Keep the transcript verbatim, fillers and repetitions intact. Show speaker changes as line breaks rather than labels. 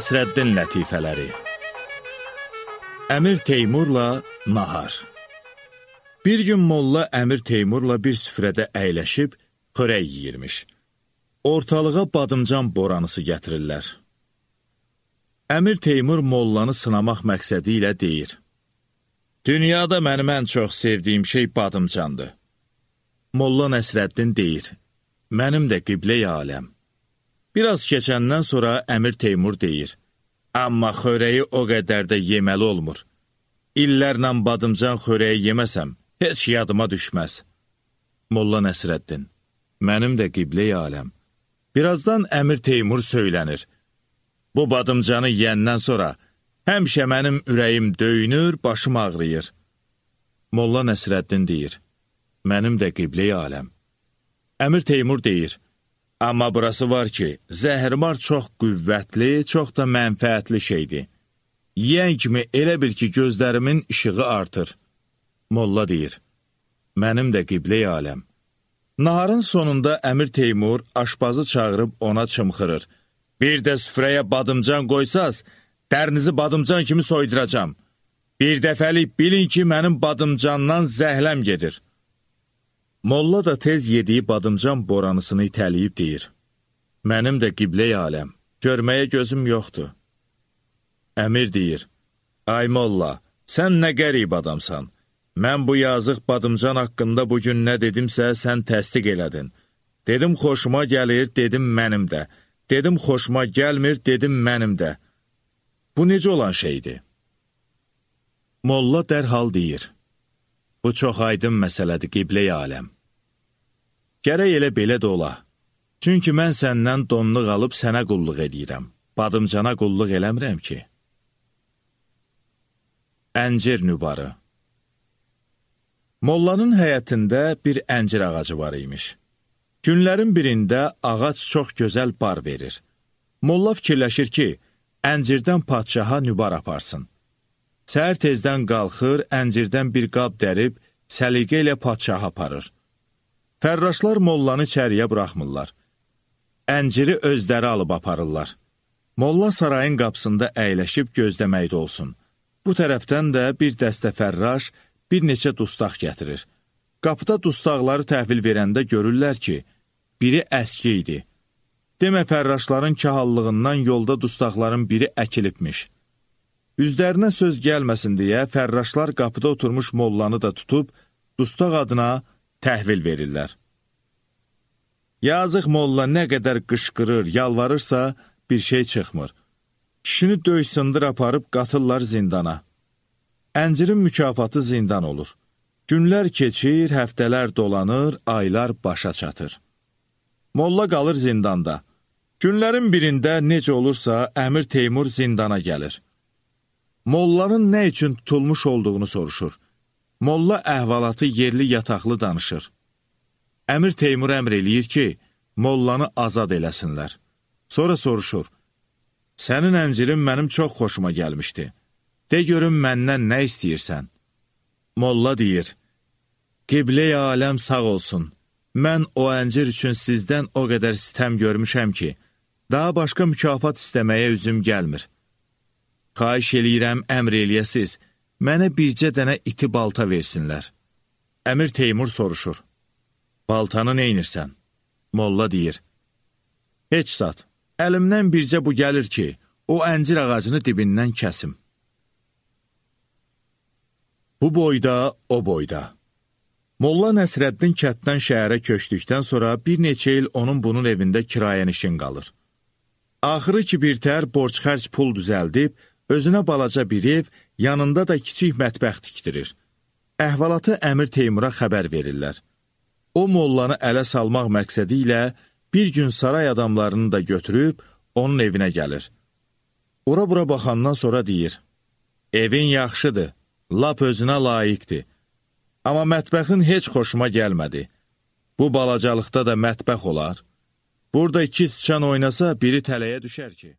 Nəsrəddin lətifələri. Əmir Teymurla nahar. Bir gün Molla Əmir Teymurla bir süfrədə əyləşib xörək yiyirmiş. Ortalığa badımcan boranısı gətirirlər. Əmir Teymur Mollanı sınamaq məqsədi ilə deyir: "Dünyada mənim ən çox sevdiyim şey badımcandır." Molla Nəsrəddin deyir: "Mənim də qiblə-i aləm." Biraz keçəndən sonra Əmir Teymur deyir: "Amma xörəyi o qədər də yeməli olmur. İllərlə badımcan xörəyi yeməsəm, heç yadıma düşməz." Molla Nəsrəddin: "Mənim də qiblə-i aləm." Birazdan Əmir Teymur söylənir: "Bu badımcanı yeyəndən sonra həmişə mənim ürəyim döyünür, başım ağrıyır." Molla Nəsrəddin deyir: "Mənim də qiblə-i aləm." Əmir Teymur deyir: "Amma burası var ki, zəhrimar çox qüvvətli, çox da mənfəətli şeydir. Yiyən kimi elə bil ki, gözlərimin işığı artır." Molla deyir: "Mənim də qiblə-i aləm." Naharın sonunda Əmir Teymur aşpazı çağırıb ona çımxırır: "Bir də süfrəyə badımcan qoysaz, dərinizi badımcan kimi soyduracam. Bir dəfəlik bilin ki, mənim badımcandan zəhləm gedir." Molla da tez yediyi badımcan boranısını itəliyib deyir: "Mənim də qiblə-i aləm, görməyə gözüm yoxdur." Əmir deyir: "Ay Molla, sən nə qərib adamsan. Mən bu yazıq badımcan haqqında bugün nə dedimsə, sən təsdiq elədin. Dedim xoşuma gəlir, dedim mənim də. Dedim xoşuma gəlmir, dedim mənim də. Bu necə olan şeydir?" Molla dərhal deyir: "Bu çox aydın məsələdir, qiblə-i aləm. Gərək elə belə də ola. Çünki mən səndən donluq alıb sənə qulluq edirəm. Badımcana qulluq eləmirəm ki." Əncir nübarı. Mollanın həyətində bir əncir ağacı var imiş. Günlərin birində ağac çox gözəl bar verir. Molla fikirləşir ki, əncirdən padşaha nübar aparsın. Səhər tezdən qalxır, əncirdən bir qab dərib, səliqə ilə padşaha aparır. Fərraşlar Mollanı içəriyə buraxmırlar. Ənciri özləri alıb aparırlar. Molla sarayın qapısında əyləşib gözləməkdə olsun. Bu tərəfdən də bir dəstə fərraş, bir neçə dustaq gətirir. Qapıda dustaqları təhvil verəndə görürlər ki, biri əski idi. Demə fərraşların kahallığından yolda dustaqların biri əkilibmiş. Üzlərinə söz gəlməsin deyə fərraşlar qapıda oturmuş Mollanı da tutub, dustaq adına təhvil verirlər. Yazıq Molla nə qədər qışqırır, yalvarırsa bir şey çıxmır. Kişini döy sındır aparıb qatırlar zindana. Əncirin mükafatı zindan olur. Günlər keçir, həftələr dolanır, aylar başa çatır. Molla qalır zindanda. Günlərin birində necə olursa Əmir Teymur zindana gəlir. Mollanın nə üçün tutulmuş olduğunu soruşur. Molla əhvalatı yerli yataqlı danışır. Əmir Teymur əmr eləyir ki, Mollanı azad eləsinlər. Sonra soruşur: "Sənin əncirin mənim çox xoşuma gəlmişdi. De görüm məndən nə istəyirsən?" Molla deyir: "Qiblə-i aləm sağ olsun. Mən o əncir üçün sizdən o qədər sitəm görmüşəm ki, daha başqa mükafat istəməyə üzüm gəlmir. Xahiş eləyirəm, əmr eləyəsiz, mənə bircə dənə iti balta versinlər." Əmir Teymur soruşur: "Baltanı neynirsən?" Molla deyir: "Heç zat, əlimdən bircə bu gəlir ki, o əncir ağacını dibindən kəsim." Bu boyda, o boyda. Molla Nəsrəddin kənddən şəhərə köçdükdən sonra bir neçə il onun bunun evində kirayənişin qalır. Axırı ki, birtəhər borc-xərc pul düzəldib, özünə balaca bir ev, yanında da kiçik mətbəx tikdirir. Əhvalatı Əmir Teymura xəbər verirlər. O Mollanı ələ salmaq məqsədi ilə bir gün saray adamlarını da götürüb onun evinə gəlir. Ora-bura baxandan sonra deyir: "Evin yaxşıdır, lap özünə layiqdir. Amma mətbəxin heç xoşuma gəlmədi. Bu balacalıqda da mətbəx olar. Burada iki sıçan oynasa biri tələyə düşər ki."